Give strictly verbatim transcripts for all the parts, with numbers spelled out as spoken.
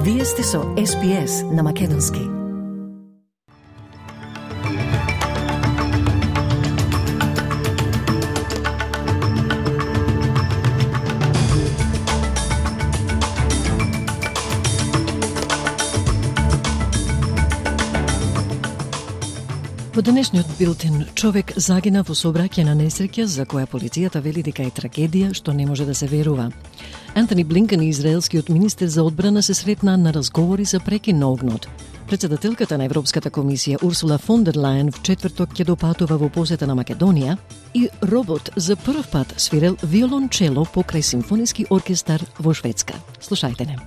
Вие сте со Ес Би Ес на Македонски. Во денешниот билтен, човек загина во сообраќајна несреќа за која полицијата вели дека е трагедија што не може да се верува. Антони Блинкен и израелскиот министер за одбрана се сретнаа на разговори за прекин на огнот. Председателката на Европската комисија Урсула фон дер Лајен в четврток ќе допатува во посета на Македонија и робот за прв пат свирел виолончело покрај симфониски оркестар во Шведска. Слушајте не.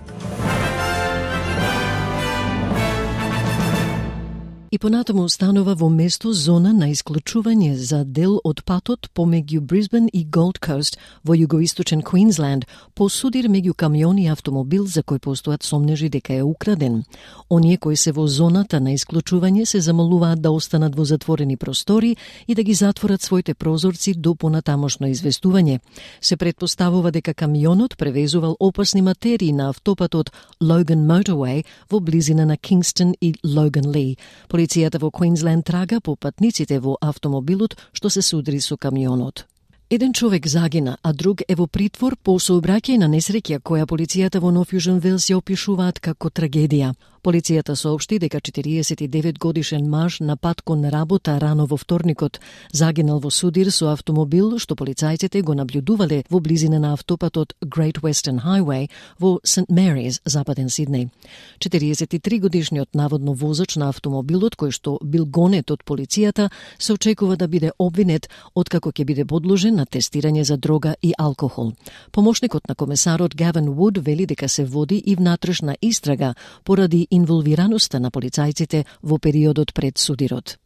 И понатаму устанува во место зона на исклучување за дел од патот помеѓу Брисбен и Голд Кост во југоисточен Квинсленд по судир меѓу камион и автомобил за кој постојат сомнежи дека е украден. Оние кои се во зоната на исклучување се замолуваат да останат во затворени простори и да ги затворат своите прозорци до понатамошно известување. Се претпоставува дека камионот превезувал опасни материи на автопатот Logan Motorway во близина на Кингстон и Логан Ли. Полицијата во Квинсленд трага по патниците во автомобилот што се судри со камионот. Еден човек загина, а друг е во притвор по сообраќајна несреќа која полицијата во Нов Јужен Велс ја опишуваат како трагедија. Полицијата соопшти дека четириесет и девет годишен маж на пат кон работа рано во вторникот загинал во судир со автомобил што полицајците го наблюдувале во близина на автопатот Great Western Highway во Сент Марис, западен Сиднеј. четириесет и три годишниот наводно возач на автомобилот кој што бил гонет од полицијата се очекува да биде обвинет откако ќе биде подложен на тестирање за дрога и алкохол. Помошникот на комесарот Гавин Вуд вели дека се води и внатрешна истрага поради инволвираноста на полицајците во периодот пред судирот.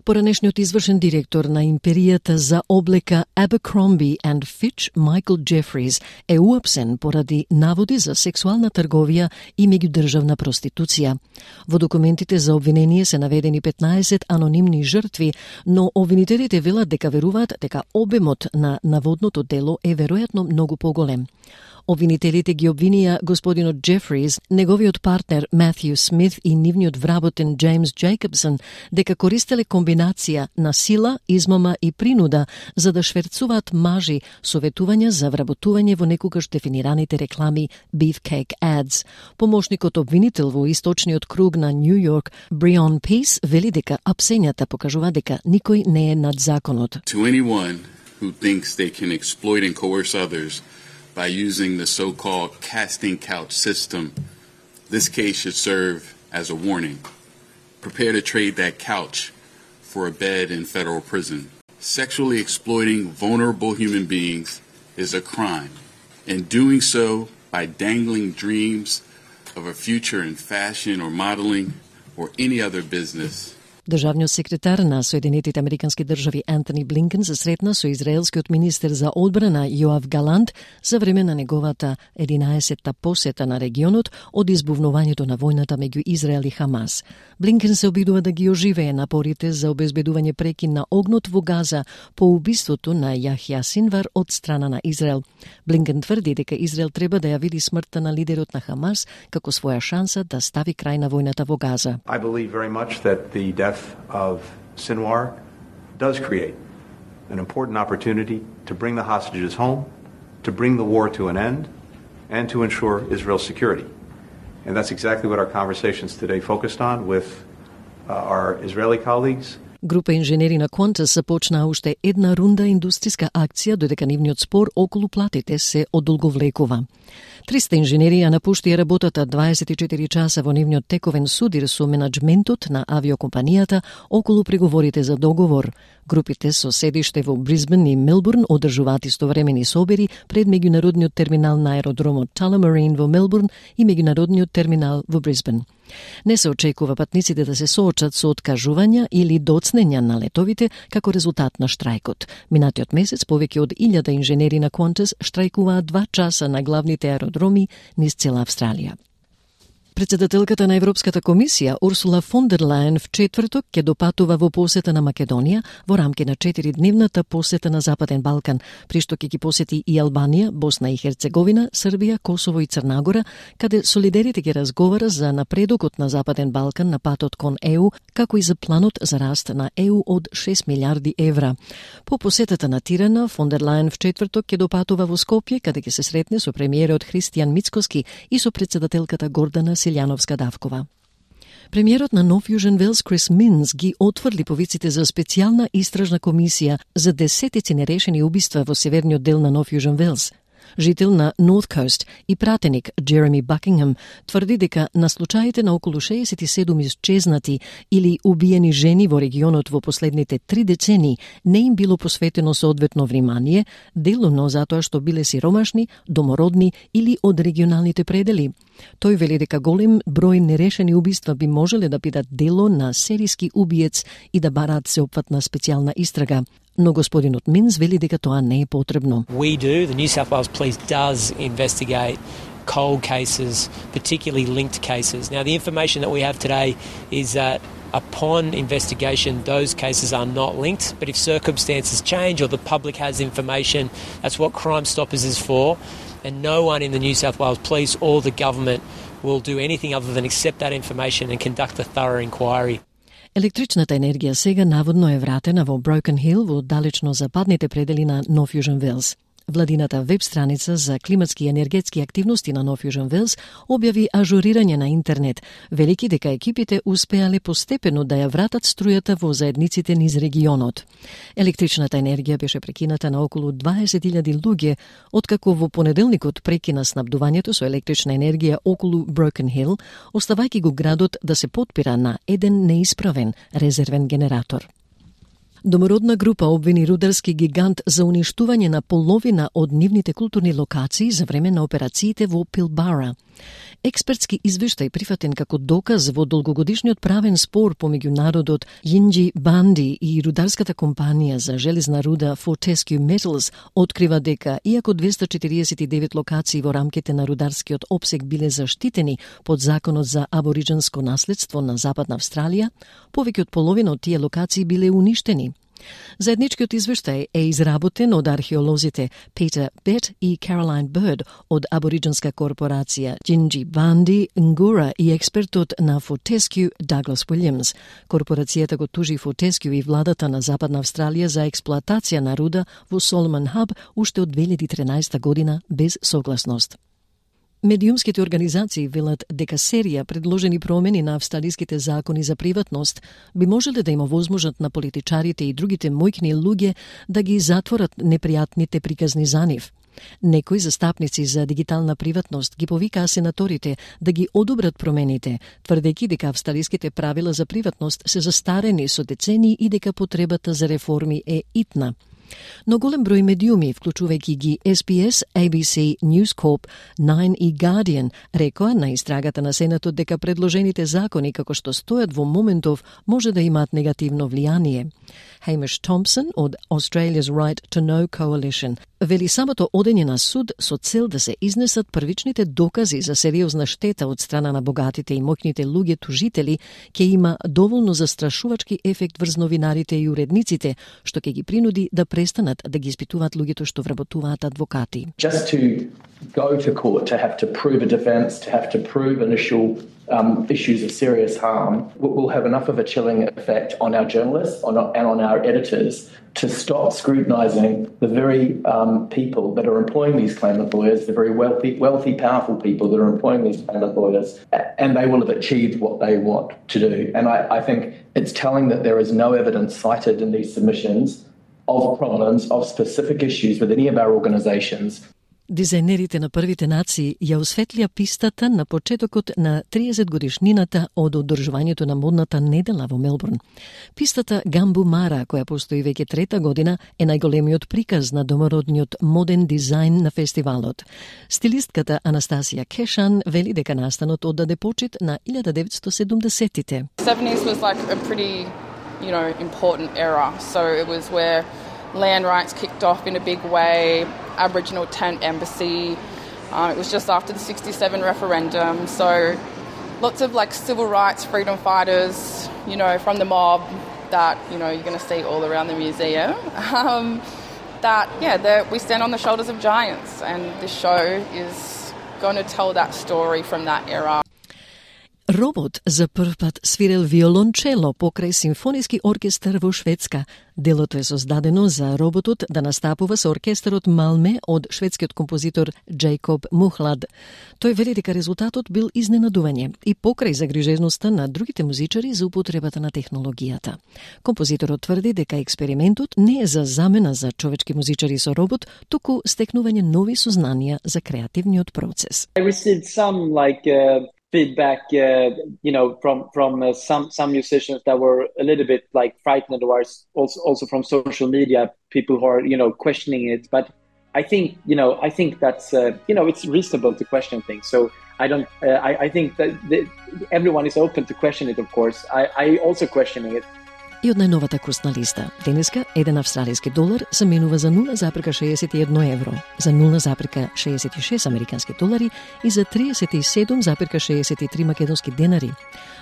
Поранешниот извршен директор на империјата за облека Abercrombie and Fitch, Майкл Джефрис, е уапсен поради наводи за сексуална трговија и меѓудржавна проституција. Во документите за обвинение се наведени петнаесет анонимни жртви, но обвинителите велат дека веруваат дека обемот на наводното дело е веројатно многу поголем. Обвинителите ги обвинија господинот Джефрис, неговиот партнер Матју Смит и нивниот вработен Джеймс Джейкобсон дека користеле комбинација на сила, измама и принуда за да шверцуваат мажи со ветувања за вработување во некогаш дефинираните реклами Beefcake Ads. Помошникот обвинител во источниот круг на Нью Йорк, Брион Пис, вели дека апсењата покажува дека никој не е над законот. To anyone who thinks they can exploit and coerce others by using the so-called casting couch system, this case should serve as a warning. Prepare to trade that couch for a bed in federal prison. Sexually exploiting vulnerable human beings is a crime, and doing so by dangling dreams of a future in fashion or modeling or any other business. Државниот секретар на Соединетите Американски држави Антони Блинкен се сретна со израелскиот министер за одбрана Јоав Галант за време на неговата единаесетта посета на регионот од избувнувањето на војната меѓу Израел и Хамас. Блинкен се обидува да ги оживее напорите за обезбедување прекин на огнот во Газа по убиството на Јахја Синвар од страна на Израел. Блинкен тврди дека Израел треба да ја види смртта на лидерот на Хамас како своја шанса да стави крај на војната во Газа. I believe very much that the death of Sinwar does create an important opportunity to bring the hostages home, to bring the war to an end, and to ensure Israel's security. And that's exactly what our conversations today focused on with uh, our Israeli colleagues. Група инженери на Qantas започнаа уште една рунда индустријска акција додека нивниот спор околу платите се одолговлекува. триста инженери ја напуштија работата дваесет и четири часа во нивниот тековен судир со менаџментот на авиокомпанијата околу преговорите за договор. Групите со седиште во Брисбен и Мелбурн одржуваат истовремени собери пред меѓународниот терминал на аеродромот Tullamarine во Мелбурн и меѓународниот терминал во Брисбен. Не се очекува патниците да се соочат со откажувања или доцнења на летовите како резултат на штрајкот. Минатиот месец повеќе од илјада инженери на Qantas штрајкуваат два часа на главните аеродроми низ цела Австралија. Председателката на Европската комисија Урсула фон дер Лајен в четврток ќе допатува во посета на Македонија во рамки на четиридневната посета на Западен Балкан, при што ќе ги посети и Албанија, Босна и Херцеговина, Србија, Косово и Црна Гора, каде солидерите ќе разговара за напредокот на Западен Балкан на патот кон Е У, како и за планот за раст на Е У од шест милиарди евра. По посетата на Тирана, фон дер Лајен в четврток ќе допатува во Скопје, каде ќе се сретне со премиерот Христијан Мицкоски и со председателката Гордана Силјановска-Давкова. Премиерот на Нов Јужен Велс Крис Минс ги отврли повиците за специјална истражна комисија за десетици нерешени убиства во северниот дел на Нов Јужен Велс. Жител на North Coast и пратеник Джереми Бакингем тврди дека на случаите на околу шеесет и седум исчезнати или убиени жени во регионот во последните три децени не им било посветено соодветно внимание, делумно затоа што биле сиромашни, домородни или од регионалните предели. Тој вели дека голем број нерешени убиства би можеле да бидат дело на серијски убиец и да бараат сеопфатна специјална истрага. Но господинот Минс вели дека тоа не е потребно. We do, the New South Wales Police does investigate cold cases, particularly linked cases. Now, the information that we have today is that upon investigation, those cases are not linked, but if circumstances change or the public has information, that's what Crime Stoppers is for, and no one in the New South Wales Police or the government will do anything other than accept that information and conduct a thorough inquiry. Електричната енергија сега наводно е вратена во Broken Hill во далечно западните предели на Нов Јужен Велс. Владината веб страница за климатски и енергетски активности на Нов Јужен Велс објави ажурирање на интернет, велики дека екипите успеале постепено да ја вратат струјата во заедниците низ регионот. Електричната енергија беше прекината на околу дваесет илјади луѓе, откако во понеделникот прекина снабдувањето со електрична енергија околу Broken Hill, оставајќи го градот да се потпира на еден неисправен резервен генератор. Домородна група обвини рударски гигант за уништување на половина од нивните културни локации за време на операциите во Пилбара. Експертски извештај прифатен како доказ во долгогодишниот правен спор помеѓу народот Јинџи Банди и рударската компанија за железна руда Fortescue Metals открива дека, иако двесте четириесет и девет локации во рамките на рударскиот опсег биле заштитени под законот за абориџинско наследство на Западна Австралија, повеќе од половина од тие локации биле уништени. Заедничкиот извештај е изработен од археолозите Peter Bett и Caroline Bird од абориџинска корпорација Јинџи Банди Нгура и експертот на Fortescue Douglas Williams. Корпорацијата го тужи Fortescue и владата на Западна Австралија за експлоатација на руда во Соломон Хаб уште од две илјади и тринаесета година без согласност. Медиумските организации велат дека серија предложени промени на австралиските закони за приватност би можеле да има возможност на политичарите и другите мојкни луѓе да ги затворат непријатните приказни за нив. Некои застапници за дигитална приватност ги повикаа сенаторите да ги одобрат промените, тврдејќи дека австралиските правила за приватност се застарени со децении и дека потребата за реформи е итна. Но голем број медиуми, вклучувајќи ги Ес Би Ес, Ей Би Си, News Corp, Nine и Guardian, рекоа на истрагата на Сенатот дека предложените закони како што стојат во моментов може да имаат негативно влијание. Hamish Thompson од Australia's Right to Know Coalition вели самото одење на суд со цел да се изнесат првичните докази за сериозна штета од страна на богатите и моќните луѓе тужители ќе има доволно застрашувачки ефект врз новинарите и уредниците, што ќе ги принуди да престанат да ги испитуваат луѓето што вработуваат адвокати. Just to go to court, to have to prove a defense, to have to prove initial um, issues of serious harm will have enough of a chilling effect on our journalists on, and on our editors to stop scrutinising the very um, people that are employing these claimant lawyers, the very wealthy, wealthy, powerful people that are employing these claimant lawyers, and they will have achieved what they want to do. And I, I think it's telling that there is no evidence cited in these submissions of problems, of specific issues with any of our organisations. Дизајнерите на првите нации ја осветлија пистата на почетокот на триесет годишнината од одржувањето на модната недела во Мелбурн. Пистата Гамбу Мара, која постои веќе трета година, е најголемиот приказ на домородниот моден дизајн на фестивалот. Стилистката Анастасија Кешан вели дека настанот оддаде почит на илјада деветстотини и седумдесеттите. seventies was like a pretty, you know, important era. So it was where land rights kicked off in a big way, Aboriginal tent embassy. Um, it was just after the sixty-seven referendum. So lots of like civil rights freedom fighters, you know, from the mob that, you know, you're going to see all around the museum. Um, that, yeah, we stand on the shoulders of giants, and this show is going to tell that story from that era. Робот за прв пат свирел виолончело покрај симфониски оркестар во Шведска. Делото е создадено за роботот да настапува со оркестарот Малме од шведскиот композитор Джейкоб Мухлад. Тој вели дека резултатот бил изненадување и покрај загрижеността на другите музичари за употребата на технологијата. Композиторот тврди дека експериментот не е за замена за човечки музичари со робот, туку стекнување нови сознанија за креативниот процес. I received some like uh... feedback, uh, you know, from from uh, some some musicians that were a little bit like frightened, or also also from social media, people who are, you know, questioning it. But I think, you know, I think that's uh, you know, it's reasonable to question things. So I don't. Uh, I I think that the, everyone is open to question it. Of course, I I also questioning it. И од најновата курсна листа. Денеска еден австралиски долар се менува за нула запирка шеесет и едно евро, за нула запирка шеесет и шест американски долари и за триесет и седум запирка шеесет и три македонски денари,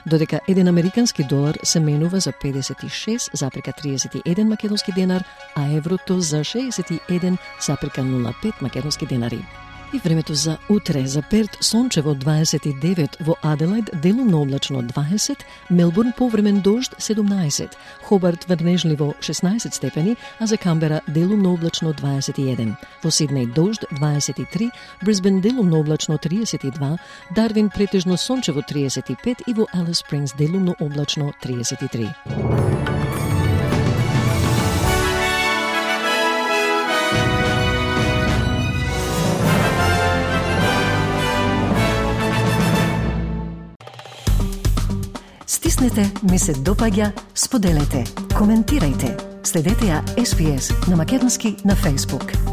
додека еден американски долар се менува за педесет и шест запирка триесет и еден македонски денар, а еврото за шеесет и еден запирка нула пет македонски денари. И времето за утре: за Перт сончево дваесет и девет, во Аделајд делумно облачно дваесет, Мелбурн повремен дожд седумнаесет, Хобарт врнежливо шеснаесет степени, а за Камбера делумно облачно дваесет и еден, во Сиднеј дожд дваесет и три, Брисбен делумно облачно триесет и два, Дарвин претежно сончево триесет и пет и во Алис Спрингс делумно облачно триесет и три. Стиснете, ми се допаѓа, споделете, коментирајте. Следете ја Ес Би Ес на македонски на Facebook.